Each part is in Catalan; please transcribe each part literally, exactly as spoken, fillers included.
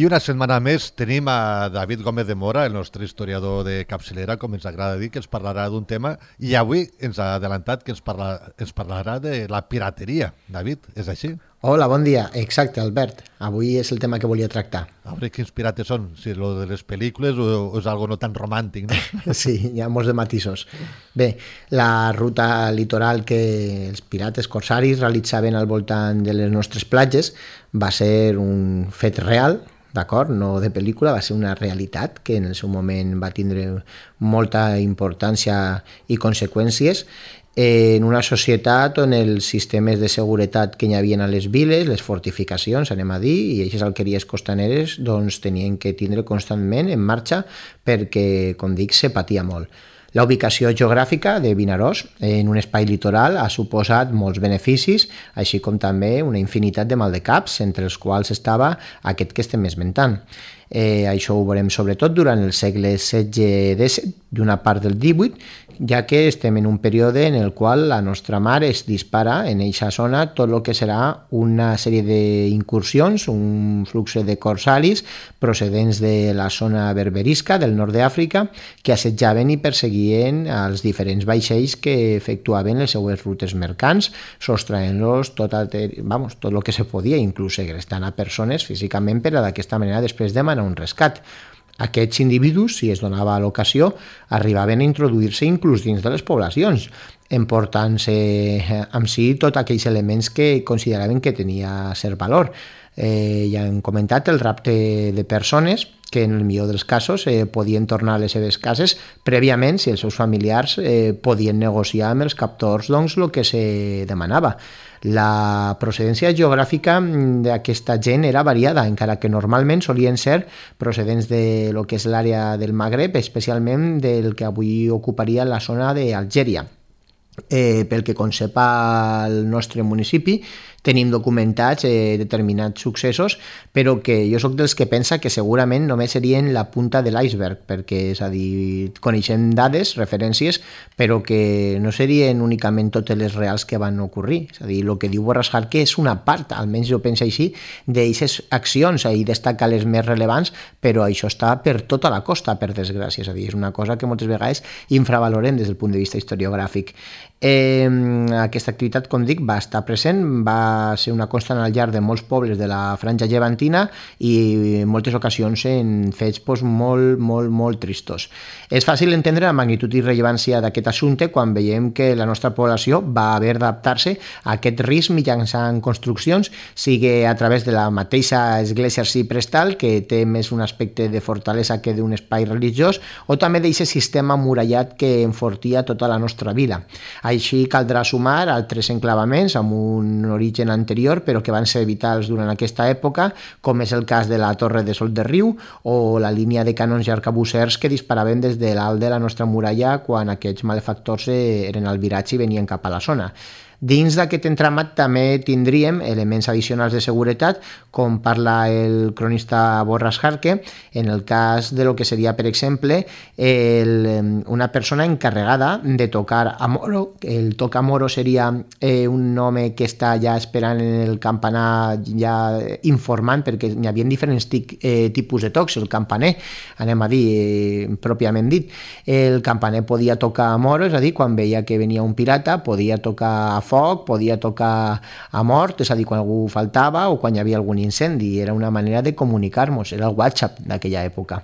I una setmana més tenim a David Gómez de Mora, el nostre historiador de capçalera, com ens agrada dir, que ens parlarà d'un tema, i avui ens ha adelantat que ens, parla, ens parlarà de la pirateria. David, és així? Hola, bon dia. Exacte, Albert. Avui és el tema que volia tractar. A veure quins pirates són, si és lo de les pel·lícules o, o és algo no tan romàntic, no? Sí, hi ha molts de matisos. Bé, la ruta litoral que els pirates corsaris realitzaven al voltant de les nostres platges va ser un fet real, d'acord? No de pel·lícula, va ser una realitat que en el seu moment va tindre molta importància i conseqüències en una societat on els sistemes de seguretat que hi havia a les viles, les fortificacions, anem a dir, i aquestes alqueries costaneres, doncs tenien que tindre constantment en marxa perquè, com dic, se patia molt. La ubicació geogràfica de Vinaròs en un espai litoral ha suposat molts beneficis, així com també una infinitat de maldecaps, entre els quals estava aquest que estem esmentant. Eh, això ho veurem sobretot durant el segle setze disset i una part del divuit, ja que estem en un període en el qual la nostra mar es dispara en eixa zona tot el que serà una sèrie d'incursions, un flux de corsaris procedents de la zona berberisca del nord d'Àfrica que assetjaven i perseguien els diferents vaixells que efectuaven les seues rutes mercants, sostraent-los tot, vamos, tot el que se podia, inclús segrestant a persones físicament per a d'aquesta manera després demanar un rescat. Aquests individus, si es donava l'ocasió, arribaven a introduir-se inclús dins de les poblacions, emportant-se amb si tots aquells elements que consideraven que tenia cert valor. Eh, ja hem comentat el rapte de persones que en el millor dels casos eh, podien tornar a les seves cases prèviament si els seus familiars eh, podien negociar amb els captors doncs, el que se demanava. La procedència geogràfica d'aquesta gent era variada, encara que normalment solien ser procedents de lo que és l'àrea del Magreb, especialment del que avui ocuparia la zona d'Algèria. Eh, pel que concepa el nostre municipi, tenim documentats eh, determinats successos, però que jo sóc dels que pensa que segurament només serien la punta de l'iceberg, perquè, és a dir, coneixem dades, referències, però que no serien únicament totes les reals que van ocorrir. És a dir, el que diu Borràs Jarque és una part, almenys jo penso així, d'aixes accions, i destaca les més rellevants, però això està per tota la costa, per desgràcia. És a dir, és una cosa que moltes vegades infravalorem des del punt de vista historiogràfic. Eh, aquesta activitat, com dic, va estar present, va ser una constant al llarg de molts pobles de la franja llevantina i en moltes ocasions en fets pues, molt, molt, molt tristos. És fàcil entendre la magnitud i rellevància d'aquest assumpte quan veiem que la nostra població va haver d'adaptar-se a aquest risc mitjançant construccions, sigui a través de la mateixa església arciprestal, que té més un aspecte de fortalesa que d'un espai religiós, o també d'aquest sistema murallat que enfortia tota la nostra vila. Així caldrà sumar altres enclavaments amb un origen anterior però que van ser vitals durant aquesta època, com és el cas de la Torre de Sol de Riu o la línia de canons i arcabussers que disparaven des de l'alt de la nostra muralla quan aquests malefactors eren al viratge i venien cap a la zona. Dins d'aquest entramat també tindríem elements addicionals de seguretat, com parla el cronista Borràs Jarque, en el cas de lo que seria, per exemple, el, una persona encarregada de tocar a moro. El toca moro seria eh, un home que està ja esperant en el campanar, ja informant, perquè hi havia diferents tic, eh, tipus de tocs. El campaner, anem a dir, eh, pròpiament dit, el campaner podia tocar a moro, és a dir, quan veia que venia un pirata, podia tocar a foc, podia tocar a mort, és a dir, quan algú faltava o quan hi havia algun incendi. Era una manera de comunicar-nos, era el WhatsApp d'aquella època.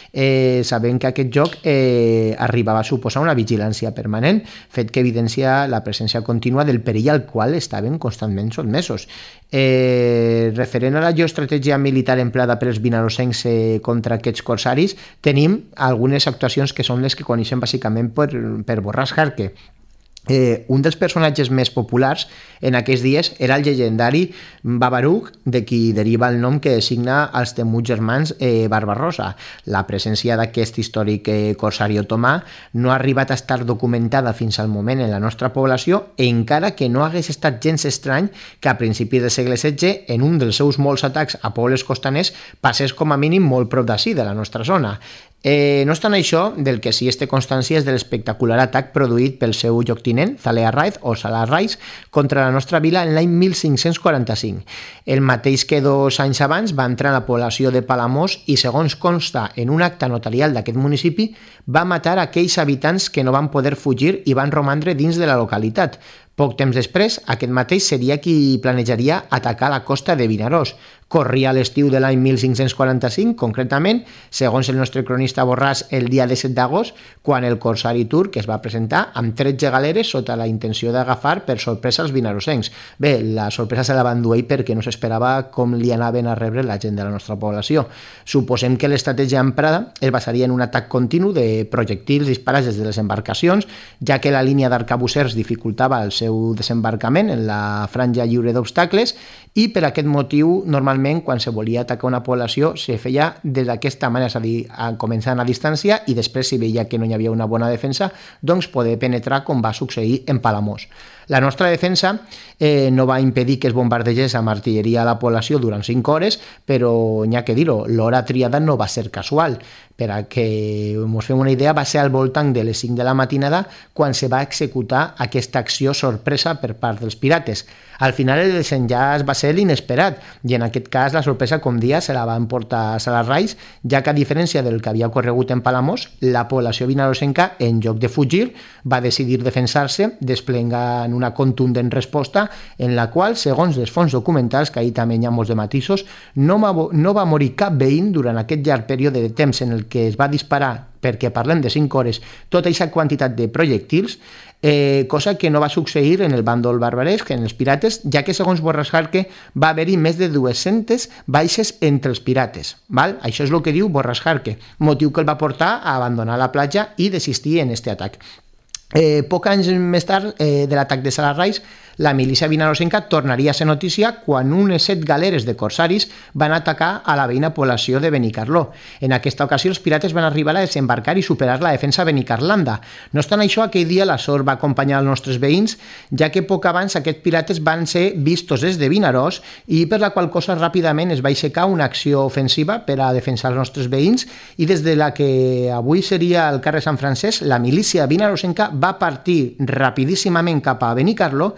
Eh, sabem que aquest joc eh, arribava a suposar una vigilància permanent, fet que evidencia la presència contínua del perill al qual estaven constantment sotmesos. Eh, referent a la geoestratègia militar emplada pels vinarosencs eh, contra aquests corsaris, tenim algunes actuacions que són les que coneixem bàsicament per, per Borràs Jarque. Eh, un dels personatges més populars en aquells dies era el llegendari Babaruk, de qui deriva el nom que designa els temuts germans eh, Barbarossa. La presència d'aquest històric eh, corsari otomà no ha arribat a estar documentada fins al moment en la nostra població, encara que no hagués estat gens estrany que a principis del segle setze, en un dels seus molts atacs a pobles costaners, passés com a mínim molt prop d'ací, de la nostra zona. Eh, no obstant això, del que sí es té constància és de l'espectacular atac produït pel seu lloctinent, Zalea Raiz o Salah Raiz, contra la nostra vila en l'any mil cinc-cents quaranta-cinc. El mateix que dos anys abans va entrar en la població de Palamós i, segons consta en un acta notarial d'aquest municipi, va matar aquells habitants que no van poder fugir i van romandre dins de la localitat. Poc temps després, aquest mateix seria qui planejaria atacar la costa de Vinaròs. Corria l'estiu de l'any mil cinc-cents quaranta-cinc, concretament, segons el nostre cronista Borràs, el dia disset d'agost, quan el corsari turc es va presentar amb tretze galeres sota la intenció d'agafar per sorpresa els vinarosencs. Bé, la sorpresa se la van dur ell perquè no s'esperava com li anaven a rebre la gent de la nostra població. Suposem que l'estratègia emprada es basaria en un atac continu de projectils disparats des de les embarcacions, ja que la línia d'arcabussers dificultava el seu desembarcament en la franja lliure d'obstacles i per aquest motiu, normalment, quan se volia atacar una població, se feia des d'aquesta manera, és a dir, començant a distància i després, si veia que no hi havia una bona defensa, doncs poder penetrar com va succeir en Palamós. La nostra defensa eh, no va impedir que es bombardegés amb artilleria a la població durant cinc hores, però n'hi ha que dir-ho, l'hora triada no va ser casual. Per a que ens fem una idea, va ser al voltant de les cinc de la matinada quan se va executar aquesta acció sorpresa per part dels pirates. Al final el desenllaç va ser l'inesperat i en aquest cas la sorpresa, com dia, se la va emportar Salah Raiz, ja que a diferència del que havia ocorregut en Palamós, la població vinarosenca, en lloc de fugir, va decidir defensar-se desplegant una contundent resposta en la qual, segons les fonts documentals, que ahir també hi ha molts de matisos, no va, no va morir cap veïn durant aquest llarg període de temps en el que es va disparar, perquè parlem de cinc hores, tota aquesta quantitat de projectils, eh, cosa que no va succeir en el bàndol barbaresc, en els pirates, ja que segons Borràs Jarque va haver-hi més de dues-centes baixes entre els pirates. Val? Això és el que diu Borràs Jarque, motiu que el va portar a abandonar la platja i desistir en aquest atac. Eh, poc anys més tard eh, de l'atac de Salah Raiz, la milícia vinarosenca tornaria a ser notícia quan unes set galeres de corsaris van atacar a la veïna població de Benicarló. En aquesta ocasió els pirates van arribar a desembarcar i superar la defensa benicarlanda. No obstant això, aquell dia la sort va acompanyar els nostres veïns, ja que poc abans aquests pirates van ser vistos des de Vinaròs i per la qual cosa ràpidament es va aixecar una acció ofensiva per a defensar els nostres veïns i des de la que avui seria el carrer Sant Francesc, la milícia vinarosenca va partir rapidíssimament cap a Benicarló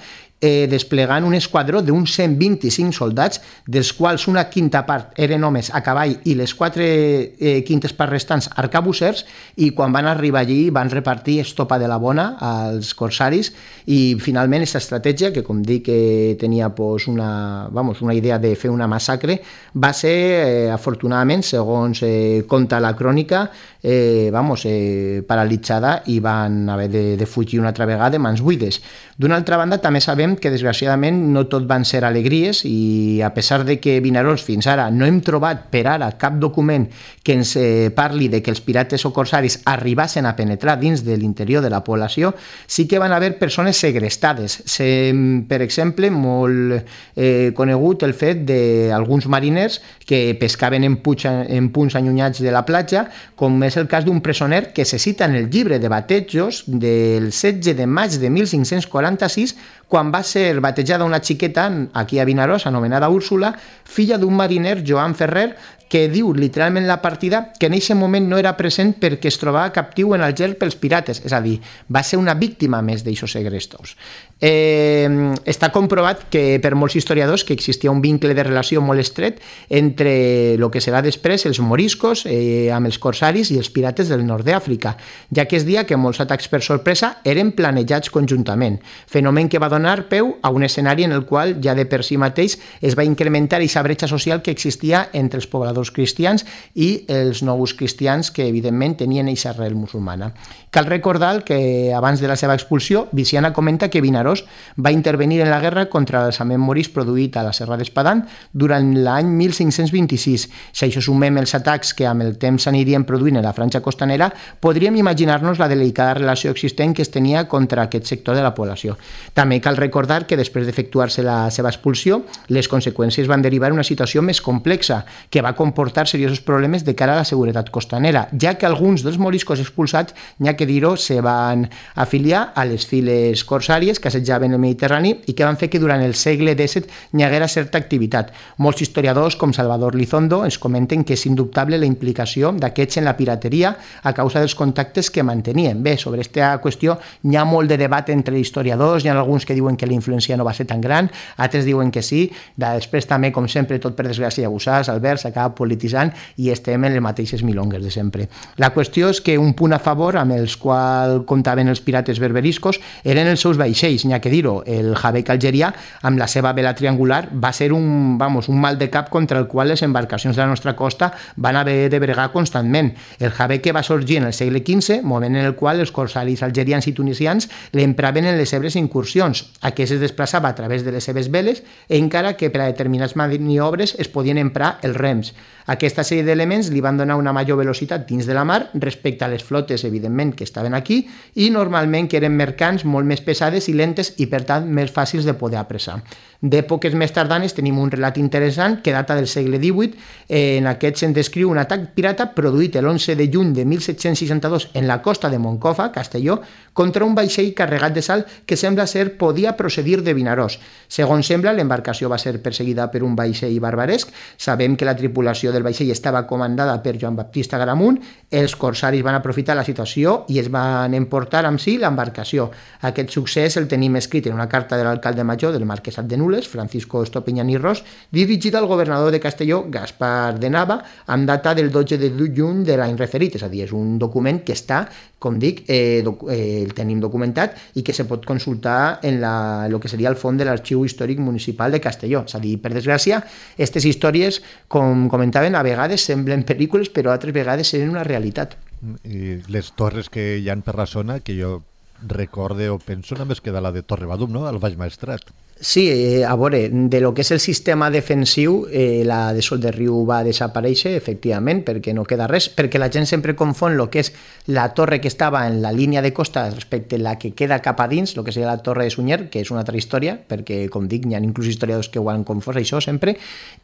eh, desplegant un esquadró d'uns cent vint-i-cinc soldats, dels quals una quinta part eren homes a cavall i les quatre eh, quintes parts restants arcabussers, i quan van arribar allí van repartir estopa de la bona als corsaris i finalment aquesta estratègia, que com dic que tenia pues, una, vamos, una idea de fer una massacre, va ser eh, afortunadament, segons eh, conta la crònica, eh, vamos, eh, paralitzada i van haver de, de fugir una altra vegada de mans buides. D'una altra banda, també sabem que desgraciadament no tot van ser alegries i a pesar de que Vinaròs fins ara no hem trobat per ara cap document que ens eh, parli de que els pirates o corsaris arribassin a penetrar dins de l'interior de la població, sí que van haver persones segrestades. Se, per exemple, molt eh, conegut el fet d'alguns mariners que pescaven en, puig, en punts allunyats de la platja, com és el cas d'un presoner que se cita en el llibre de batejos del setze de maig de mil cinc-cents quaranta-sis, quan va ser batejada una xiqueta aquí a Vinaròs, anomenada Úrsula, filla d'un mariner, Joan Ferrer, que diu literalment la partida que en aquest moment no era present perquè es trobava captiu en el gel pels pirates, és a dir, va ser una víctima més d'aixos segrestos. Eh, està comprovat que per molts historiadors que existia un vincle de relació molt estret entre el que serà després els moriscos eh, amb els corsaris i els pirates del nord d'Àfrica, ja que es dia que molts atacs per sorpresa eren planejats conjuntament, fenomen que va donar peu a un escenari en el qual ja de per si mateix es va incrementar aquesta bretxa social que existia entre els pobladors cristians i els nous cristians que evidentment tenien aquesta arrel musulmana. Cal recordar que abans de la seva expulsió, Viciana comenta que Vinaròs va intervenir en la guerra contra l'alçament moris produït a la Serra d'Espadán durant l'any mil cinc-cents vint-i-sis. Si això sumem els atacs que amb el temps s'anirien produint en la franja costanera, podríem imaginar-nos la delicada relació existent que es tenia contra aquest sector de la població. També cal recordar que després d'efectuar-se la seva expulsió, les conseqüències van derivar en una situació més complexa, que va comportar seriosos problemes de cara a la seguretat costanera, ja que alguns dels moriscos expulsats, n'hi ha que dir-ho, se van afiliar a les files corsàries, que assetjaven el Mediterrani i que van fer que durant el segle disset hi haguera certa activitat. Molts historiadors, com Salvador Lizondo, ens comenten que és indubtable la implicació d'aquests en la pirateria a causa dels contactes que mantenien. Bé, sobre aquesta qüestió hi ha molt de debat entre historiadors, hi ha alguns que diuen que la influència no va ser tan gran, altres diuen que sí, després també, com sempre, tot per desgràcia ja ho saps, Albert, s'acaba polititzant i estem en les mateixes milongues de sempre. La qüestió és que un punt a favor amb els quals comptaven els pirates berberiscos eren els seus vaixells, n'hi ha que dir-ho. El Jabec algerià, amb la seva vela triangular, va ser un, vamos, un mal de cap contra el qual les embarcacions de la nostra costa van haver de bregar constantment. El Jabec que va sorgir en el segle quinze, moment en el qual els corsaris algerians i tunisians l'empraven en les seves incursions. Aquest es desplaçava a través de les seves veles, encara que per a determinats maniobres es podien emprar els rems. Aquesta sèrie d'elements li van donar una major velocitat dins de la mar respecte a les flotes, evidentment, que estaven aquí, i normalment que eren mercants molt més pesades i lentes i, per tant, més fàcils de poder apressar. D'èpoques més tardanes tenim un relat interessant que data del segle divuit. En aquest se'n descriu un atac pirata produït l'onze de juny de mil set-cents seixanta-dos en la costa de Moncofa, Castelló, contra un vaixell carregat de sal que sembla ser podia procedir de Vinaròs. Segons sembla, l'embarcació va ser perseguida per un vaixell barbaresc. Sabem que la tripulació del vaixell estava comandada per Joan Baptista Garamunt. Els corsaris van aprofitar la situació i es van emportar amb si l'embarcació. Aquest succés el tenim escrit en una carta de l'alcalde major del Marquesat de Nules, Francisco Estopiñán i Ros, dirigida al governador de Castelló, Gaspar de Nava, amb data del dotze de juny de l'any referit. És a dir, és un document que està, com dic, eh, doc eh, el tenim documentat i que se pot consultar en la, el que seria el fons de l'Arxiu Històric Municipal de Castelló. És a dir, per desgràcia, aquestes històries, com comentaven, a vegades semblen pel·lícules, però altres vegades seren una realitat. I les torres que hi ha per la zona, que jo recorde o penso, només queda la de Torrebadum, no?, al Baix Maestrat. Sí, eh, a veure, de lo que és el sistema defensiu, eh, la de Sol de Riu va desaparèixer, efectivament, perquè no queda res, perquè la gent sempre confon el que és la torre que estava en la línia de costa respecte a la que queda cap a dins, el que seria la torre de Sunyer, que és una altra història, perquè, com dic, hi ha inclús historiadors que ho han confós, això sempre,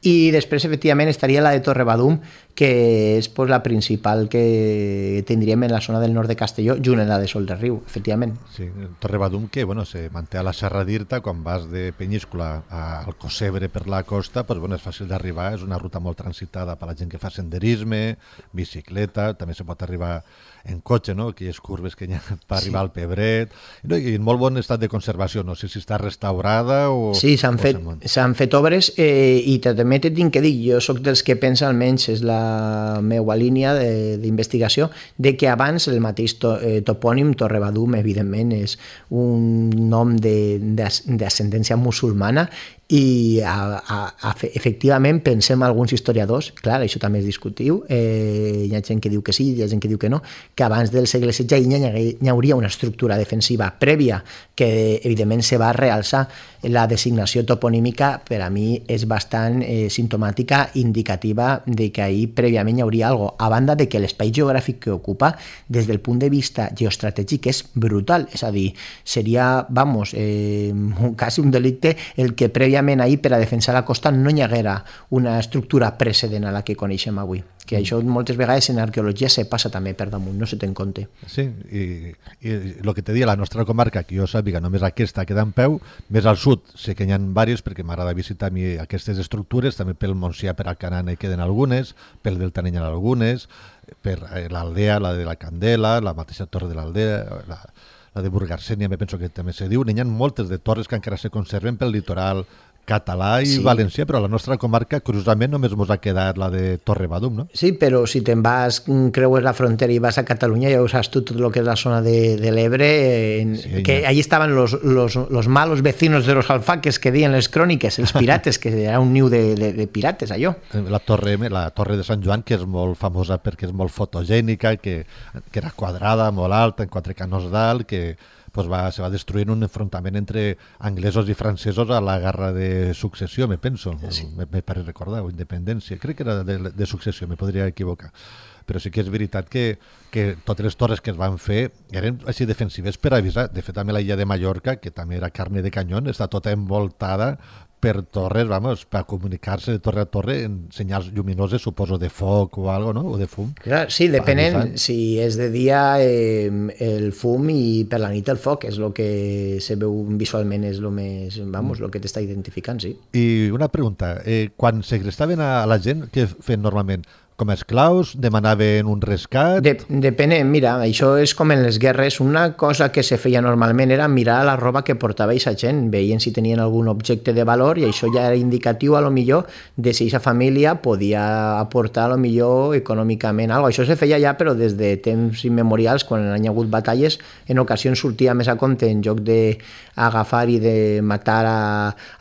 i després, efectivament, estaria la de Torrebadum, que és pues, la principal que tindríem en la zona del nord de Castelló, junt amb la de Sol de Riu, efectivament. Sí, Torrebadum, que bueno, se manté a la Serra d'Irta, quan vas de Penyíscola al Cosebre per la costa, pues, bueno, és fàcil d'arribar, és una ruta molt transitada per la gent que fa senderisme, bicicleta, també se pot arribar en cotxe, no?, aquelles curves que hi ha per arribar sí. al Pebret, no? I en molt bon estat de conservació, no sé si està restaurada o... Sí, s'han fet, s'han fet obres eh, i també t'he que dir, jo sóc dels que pensa, almenys és la meva línia d'investigació, de, de que abans el mateix to, eh, topònim Torrebadum, evidentment, és un nom d'ascendència musulmana i a, a, a, efectivament pensem alguns historiadors, clar, això també és discutiu, eh, hi ha gent que diu que sí, hi ha gent que diu que no, que abans del segle setze hi, hi hauria una estructura defensiva prèvia que evidentment se va realçar. La designació toponímica per a mi és bastant eh, simptomàtica, indicativa de que ahir prèviament hi hauria alguna cosa, a banda de que l'espai geogràfic que ocupa des del punt de vista geoestratègic és brutal, és a dir, seria, vamos, eh, quasi un delicte el que prèviament ahir per a defensar la costa no hi haguera una estructura precedent a la que coneixem avui, que això moltes vegades en arqueologia se passa també per damunt, no se té en compte. Sí, i el que te dia la nostra comarca, que jo sàpiga només aquesta queda en peu, més al sud sé que n'hi ha diverses perquè m'agrada visitar a mi aquestes estructures, també pel Montsià, per Alcanar hi queden algunes, pel Delta n'hi ha algunes, per l'Aldea, la de la Candela, la mateixa Torre de l'Aldea, la, la de Burgarsènia, me penso que també se diu, n'hi ha moltes de torres que encara se conserven pel litoral català i sí. valencià, però a la nostra comarca, curiosament, només ens ha quedat la de Torrebadum, no? Sí, però si te'n vas, creues la frontera i vas a Catalunya, ja ho saps tu, tot el que és la zona de, de l'Ebre, eh, sí, que allí estaven los, los, los malos vecinos de los alfaques que deien les cròniques, els pirates, que era un niu de, de, de pirates, allò. La torre, la torre de Sant Joan, que és molt famosa perquè és molt fotogènica, que, que era quadrada, molt alta, en quatre canons d'alt, que pues va, se va destruir un enfrontament entre anglesos i francesos a la guerra de successió, me penso, sí. me, me pare recordar, o independència, crec que era de, de successió, me podria equivocar. Però sí que és veritat que, que totes les torres que es van fer eren així defensives per avisar. De fet, també la illa de Mallorca, que també era carne de canyón, està tota envoltada per torres, vamos, per comunicar-se de torre a torre en senyals lluminoses, suposo, de foc o algo, no? O de fum. Clar, sí, depenent. Si és de dia eh, el fum i per la nit el foc, és el que se veu visualment, és el més, vamos, el que t'està identificant, sí. I una pregunta, eh, quan segrestaven a la gent, què feien normalment? Com a esclaus? Demanaven un rescat? De, depenent, mira, això és com en les guerres. Una cosa que se feia normalment era mirar la roba que portava aquesta gent, veien si tenien algun objecte de valor i això ja era indicatiu a lo millor de si aquesta família podia aportar a lo millor econòmicament algo. Això se feia ja però des de temps immemorials, quan hi ha hagut batalles, en ocasions sortia més a compte en lloc d'agafar i de matar a,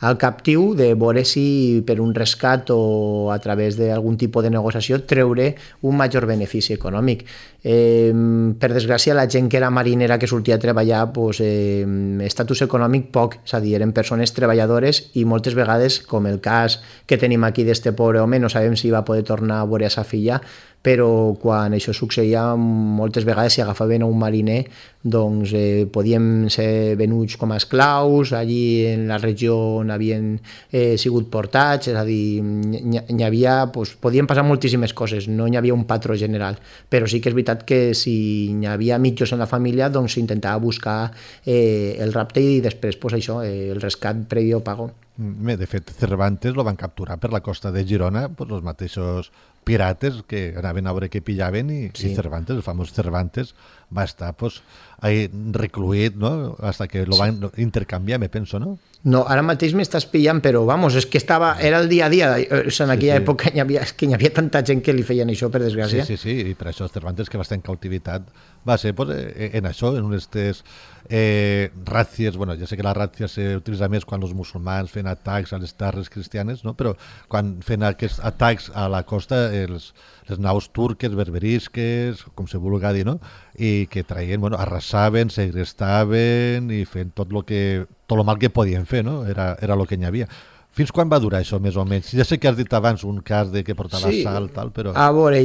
al captiu, de veure si per un rescat o a través d'algun tipus de negociació treure un major benefici econòmic. Eh, per desgràcia, la gent que era marinera, que sortia a treballar, pues, eh, estatus econòmic poc, és a dir, eren persones treballadores i moltes vegades, com el cas que tenim aquí d'este pobre home, no sabem si va poder tornar a veure a sa filla, però quan això succeïa moltes vegades si agafaven a un mariner doncs eh, podien ser venuts com a esclaus allí en la regió on havien eh, sigut portats, és a dir, n'hi havia, doncs, podien passar moltíssimes coses, no hi havia un patró general, però sí que és veritat que si hi havia mitjos en la família doncs s'intentava buscar eh, el rapte i després pues, això, eh, el rescat previ o pago. De fet, Cervantes lo van capturar per la costa de Girona, pues, els mateixos pirates que anaven a veure què pillaven i, sí. i Cervantes, el famós Cervantes, va estar pues, ahí recluït, no? Hasta que lo van sí. intercanviar, me penso, no? No, ara mateix m'estàs pillant, però vamos, és que estava, era el dia a dia, o sigui, en aquella sí, sí. època hi havia, que hi havia tanta gent que li feien això, per desgràcia. Sí, sí, sí, i per això Cervantes, que va estar en cautivitat, va ser pues, en això, en aquestes eh, ràcies, bueno, ja sé que la ràcia s'utilitza més quan els musulmans feien atacs a les terres cristianes, no? Però quan feien aquests atacs a la costa, els, les naus turques, berberisques, com se vulga dir, no? I que traien, bueno, arrasaven, segrestaven i feien tot lo que tot el mal que podien fer, no? Era, era el que n'hi havia. Fins quan va durar això, més o menys? Ja sé que has dit abans un cas de que portava sí. sal, tal, però... A veure,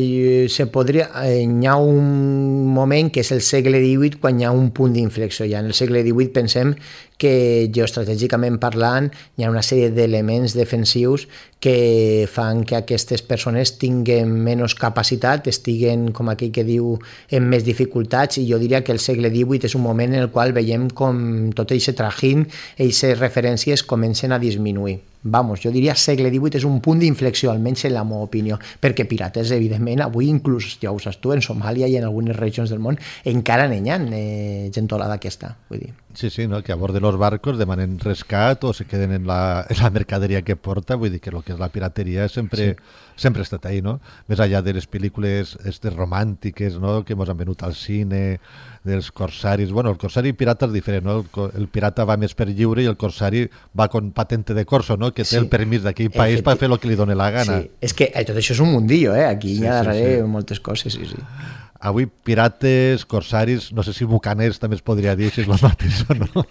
se podria... Hi ha un moment que és el segle divuit, quan hi ha un punt d'inflexió. Ja en el segle divuit pensem que geoestratègicament parlant hi ha una sèrie d'elements defensius que fan que aquestes persones tinguin menys capacitat, estiguen, com aquell que diu, en més dificultats, i jo diria que el segle divuit és un moment en el qual veiem com tot aquest trajín, aquestes referències comencen a disminuir. Vamos, jo diria segle divuit és un punt d'inflexió, almenys en la meva opinió, perquè pirates, evidentment, avui inclús, ja ho saps tu, en Somàlia i en algunes regions del món, encara n'hi ha eh, gentolada aquesta, vull dir. Sí, sí, no? Que a bord de los barcos demanen rescat o se queden en la, en la mercaderia que porta, vull dir que el que és la pirateria sempre, sí. sempre ha estat ahí, no? Més allà de les pel·lícules estes romàntiques, no? Que ens han venut al cine, dels corsaris. Bueno, el corsari pirata és diferent, no? El, el pirata va més per lliure i el corsari va con patente de corso, no? Que té sí. el permís d'aquell país per fer el que li doni la gana. Sí. És que tot això és un mundillo, eh? Aquí sí, hi ha darrere sí, sí. moltes coses, sí, sí. Avui pirates, corsaris, no sé si bucaners també es podria dir si és el mateix o no.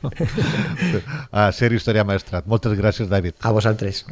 A ser Història Maestrat. Moltes gràcies, David. A vosaltres.